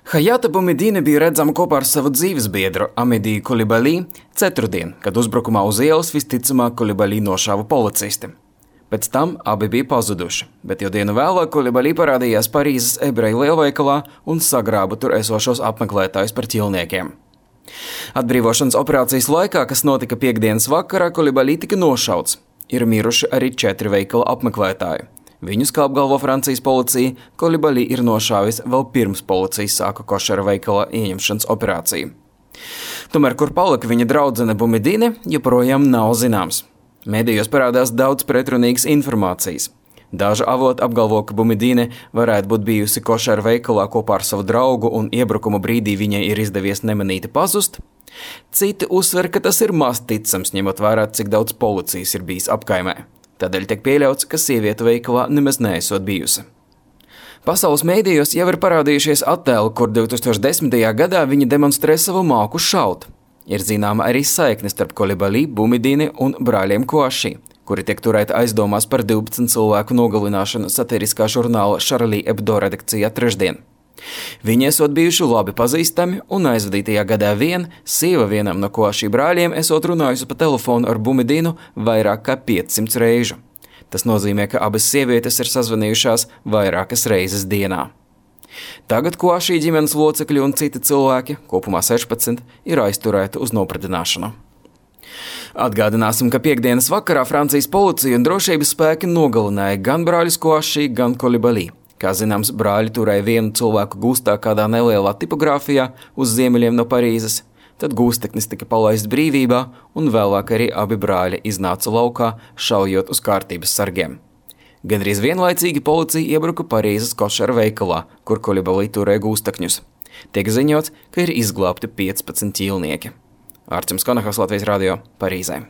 Hayata Boumediene bija redzama kopā ar savu dzīvesbiedru Amediju Koulibaly ceturtdien, kad uzbrukumā uz ielas visticamāk Koulibaly nošāva policisti. Pēc tam abi bija pazuduši, bet jau dienu vēlāk Koulibaly parādījās Parīzes ebreju lielveikalā un sagrāba tur esošos apmeklētājus par ķilniekiem. Atbrīvošanas operācijas laikā, kas notika piektdienas vakarā, Koulibaly tika nošauts. Ir miruši arī 4 veikala apmeklētāji. Viņus, kā apgalvo Francijas policija, Koulibaly ir nošāvis vēl pirms policija sāka košera veikala ieņemšanas operāciju. Tomēr, kur palika viņa draudzene Boumediene, joprojām nav zināms. Medijos parādās daudz pretrunīgas informācijas. Daži avoti apgalvo, ka Boumediene varētu būt bijusi košera veikalā kopā ar savu draugu un iebrukuma brīdī viņai ir izdevies nemanīti pazust. Citi uzsver, ka tas ir maz ticams, ņemot vērā, cik daudz policijas ir bijis apkaimē. Tādēļ tiek pieļauts, ka sieviete veikalā nemaz neesot bijusi. Pasaules mēdījos jau ir parādījušies attēli, kur 2010. gadā viņi demonstrē savu māku šaut. Ir zināma arī saikne starp Koulibaly, Boumediene un brāļiem Kouachi, kuri tiek turēti aizdomās par 12 cilvēku nogalināšanu satiriskā žurnāla Charlie Hebdo redakcijā trešdien. Viņi esot bijuši labi pazīstami, un aizvadītajā gadā sieva vienam no Kouachi brāļiem esot runājusi pa telefonu ar Boumedienu vairāk kā 500 reižu. Tas nozīmē, ka abas sievietes ir sazvanījušās vairākas reizes dienā. Tagad Kouachi ģimenes locekļi un citi cilvēki, kopumā 16, ir aizturēti uz nopratināšanu. Atgādināsim, ka piektdienas vakarā Francijas policija un drošības spēki nogalināja gan brāļus Kouachi, gan Koulibaly. Kā zināms, brāļi turēja vienu cilvēku gūstā kādā nelielā tipogrāfijā uz ziemeļiem no Parīzes, tad gūsteknis tika palaists brīvībā un vēlāk arī abi brāļi iznāca laukā, šaujot uz kārtības sargiem. Gandrīz vienlaicīgi policija iebruka Parīzes košera veikalā, kur Koulibaly turēja gūstekņus. Tiek ziņots, ka ir izglābti 15 ķīlnieki. Ārķems Konahas, Latvijas radio, Parīzē.